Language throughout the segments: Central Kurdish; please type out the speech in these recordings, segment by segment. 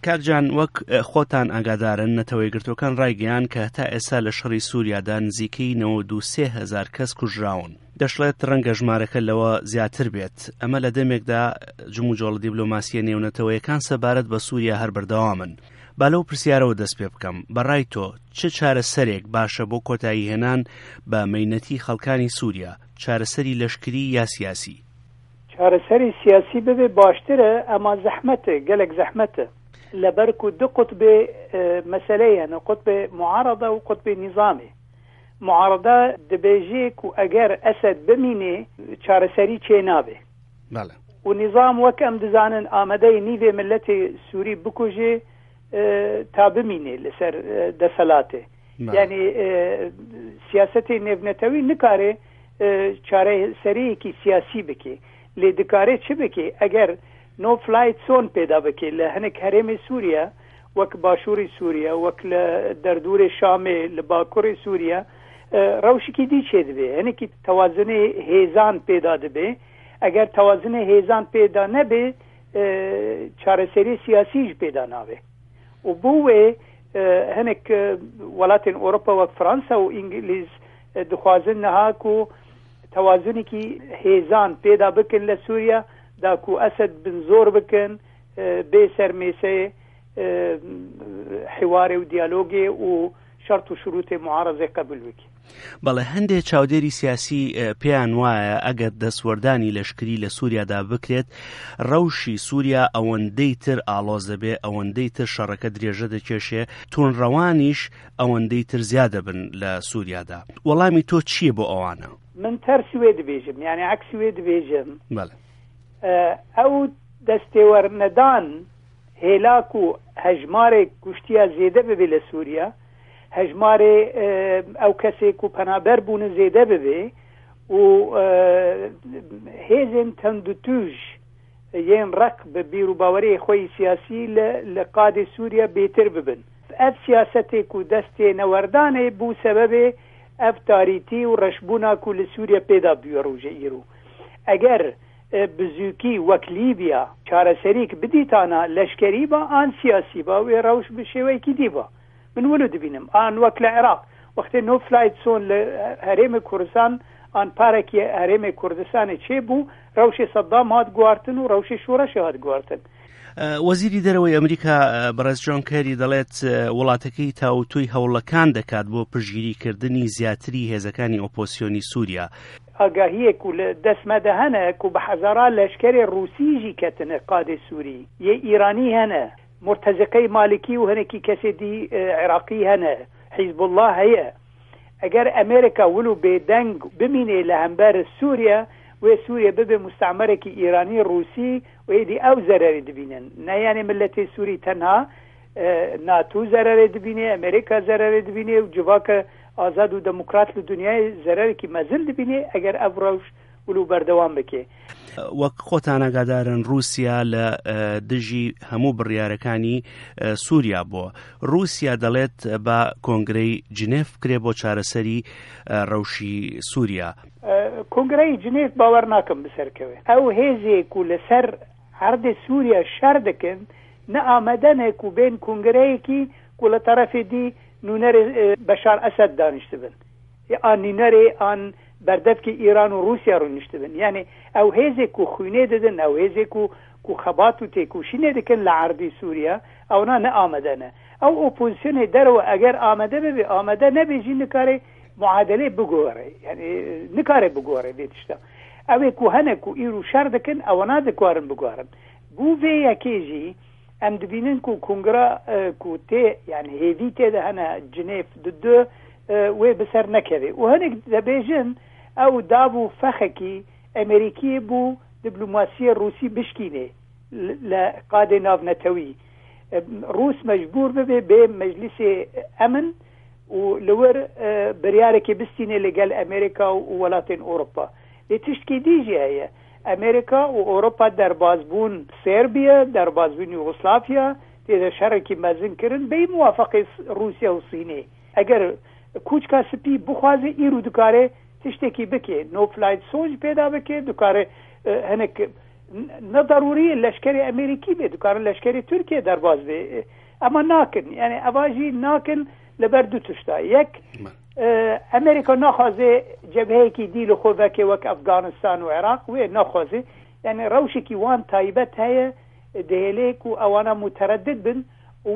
کاک جان وەک خۆتان ئاگادارن نەتەوە یەکگرتووەکان ڕایگەیاند کە هەتا ئێستا لە شەڕی سووریادا نزیکەی 93 هەزار کەس کوژراون. دەشڵێت ڕەنگە ژمارەکە لەوە زیاتر بێت. ئەمە لە دەمێکدا جموجۆڵە دیبلۆماسییە نێونەتەوەیەکان سەبارەت بە سووریا هەر بەردەوامن. با لەو پرسیارەوە دەست پێ بکەم، بە ڕای تۆ چ چارەسەرێک باشە بۆ کۆتاییهێنان بە مەینەتی خەڵکانی سووریا، چارەسەری لەشکری یا سیاسی؟ چارەسەری سیاسی ببێ باشترە ئەما زەحمەتە گەلەک زەحمەتە لەبەر کو دو قوتبێ مەسەلەی هەنە قوتبێ معارەضە و قوتبێ نیزامی معارەضە دبێژێ کو ئەگەر ئەسەد بمینێ چارەسەری چێ نابێ بەڵێ. و نیزام وەک ئەم دزانن ئامەدەی نیڤێ ملەتێ سوری بکوژێ تا بمینێ لەسەر دەسەلاتێ یعنی سیاسەتی نێونەتەوی نکارێ چارەسەریەکی سیاسی بکێ لێ دکارێ چ بکێ ئەگەر نۆ فلایت سۆن پێدا بکێ لە هەنێک هەرێمی سووریە وەک باشووری سووریە وەک لە دەردورێ شامێ لە باکوڕی سووریە ڕەوشێکی دی چێ دبێ هەنێکی تەوازنی هێزان پێدا دبێ ئەگەر تەوازنی هێزان پێدا نەبێ چارەسەری سیاسیش پێدا نابێ و بۆ وێ هەنێک وڵاتێن ئەوروپا وەک فەرەنسا و ئینگلیز دخوازن نها کو تەوازنێکی هێزان پێدا بکەن لە سووریا داکو ئەسەد بن زۆر بکەن بێ سەر مێسەیێ حیوارێ و دیالۆگێ و شەرت و شروتێ معارەزێ قەبول بکێ. بەڵێ هەندێ چاودێری سیاسی پێیان وایە ئەگەر دەستوەردانی لەشکری لە سووریادا بکرێت ڕەوشی سووریا ئەوەندەی تر ئاڵۆز دەبێ ئەوەندەی تر شەڕەکە درێژە دەکێشێ تونڕەوانیش ئەوەندەی تر زیاد دەبن لە سووریادا وەڵامی تۆ چییە بۆ ئەوانە؟ من تەرسی وێ دبێژم یعنی عەکسی وێ دبێژم بەڵێ ئەو دەستێوەرنەدان هێلاک و هەژمارێک کوشتیا زێدە ببێ لە سووریا هەژمارێ ئەو کەسێک و پەنابەر بوون زێدە ببێ و هێزێن تەندوتوژ yên ڕق بە بیر و باوەری خۆی سیاسی لە لە قادێ سووریا بێتر ببن. ئەv سیاسەتێ ku dest tê newerdanê bû sebebê ev tarîtî û reşbûna ku li Sûriye pêda bûye rojê îro. Eger bi zûkî wek Lîbya çareserîk bidîtana leşkerî ba an siyasî ba wê rewş bi şêweyekî dî ba. Min wilo dibînim. An wek li Iraq wextê no flight zone li herêmê Kurdistan an parekî herêmê Kurdistanê çêbû rewşê Saddam hat guhartin û rewşê şoreşê hat guhartin. وەزیری دەرەوەی ئەمریکا بەڕێز جۆن کێری دەڵێت وڵاتەکەی تاوتوی هەوڵەکان دەکات بۆ پشتگیریکردنی زیاتری هێزەکانی ئۆپۆسیۆنی سووریا. ئاگاهیەک و لە دەست مە دە هەنە کو بە هەزارا لەشکەرێ ڕووسی ژی کەتنە قادێ سووری، یێ ئیرانی هەنە، مورتەزقەی مالکی و هەنێکی کەسێ دی عێراقی هەنە، حیزبوڵڵا هەیە. ئەگەر ئەمێرکا ولو بێدەنگ بمینێ لە هەمبەر سووریە، وێ سووریە ببێ موستەعمەرێکی ئیرانی ڕووسی و ئێدی ئەو زەرەرێ دبینن. نە یانێ ملەتێ سووری تەنها، ناتو زەرەرێ دبینێ، ئەمێرکا زەرەرێ دبینێ و جڤاکە ئازاد و دەموکرات لە دنیای زەرەرێکی مەزن دبینێ ئەگەر ئەڤ ڕەوش ولو بەردەوام بکێ. وەک خۆتان ئاگادارن رووسیا لە دژی هەموو بڕیارەکانی سووریا بووە. رووسیا دەڵێت با کۆنگرەی جنێف بکرێ بۆ چارەسەری ڕەوشی سووریا. کۆنگرەی جنێف باوەڕ ناکەم بسەرکەوێ. ئەو هێزێک و لەسەر عەردێ سووریا شەر دکن نە ئامادەنە کو بێن کۆنگرەیەکی کو لە تەرەفێ دی نوونەرێ بەشار ئەسەد دانیشتبن. ئان نوینەرێ ئان بەردەڤکێ ئیران و ڕووسیا ڕوونیشتبن. یانێ ئەو هێزێ کو خوینێ ددن، ئەو هێزێ کو کو خەبات و تێکوشینێ دکن لە عەردی سووریا، ئەونا نە ئامادە نە. ئەو ئۆپۆزیسیۆنێ دەرەوە ئەگەر ئامادە ببێ، ئامادە نەبێ ژی نکارێ معادلێ بگۆڕێ. یانێ نکارێ بگۆڕێ ڤێ تشتا. ئەوێ کو هەنە کو ئیرو شەر دکن، ئەوەنا دکوارن بگۆڕن. بوو ڤێ یەکێ ژی ئەم دبینن کو کونگرا کو تێ یان هێڤی تێدە هەنە جنێف دو وێ بسەر نەکەوێ و هەنێک دەبێژن ئەو داڤ و فەخەکی ئەمریکی بوو دیبلۆماسیە ڕووسی بشکینێ لە قادێ ناڤنەتەوی ڕووس مەجبور ببێ بێ مەجلیسێ ئەمن و لەور بریارێکی بستینێ لەگەل ئەمریکا و وڵاتێن ئەوروپا لێ تشتکی دیژی هەیە ئەمریکا و ئەوروپا دەرباز بوون سێربیە، دەرباز بوون یوغسلافیا، تێدە شەڕێکی مەزن کرن بێی موافقەی ڕووسیا و سینێ. ئەگەر کوچکا سپی بخوازێ ئیرو دکارێ تشتێکی بکێ، نۆ فلایت سۆنج پێدا بکێ، دکارێ هەنێک نە ضروری لەشکری ئەمریکی بێ، دکارن لەشکری تورکیە دەرباز بێ. ئەمە ناکن، یعنی ئەواژی ناکن لەبەر دوو تشتا. یەک، ئەمریکا ناخوازێ جەبهەیەکی دی لە خۆ ڤەکێ وەک ئەفگانستان و عێراق، وێ ناخوازێ. یعنی ڕەوشێکی وان تایبەت هەیە دەهێلێ و ئەوانە متردد بن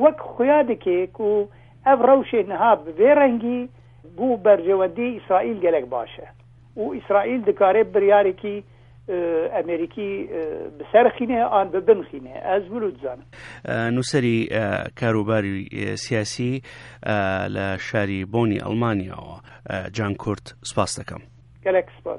وەک خویا دکێ و ئەv ڕەوشێ نها بێ ڕەنگی بوو بەرژەوەندی ئیسرائیل gelek باشە و ئیسرائیل دکارێ بریارێکی ئەمریکی بسەرخینێ ئان ببنخینێ. ئەز ولو دزانم. نووسەری کاروباری سیاسی لە شاری بۆنی ئەڵمانیاوە، جان کورت، سپاس دەکەم. gelek سپاس.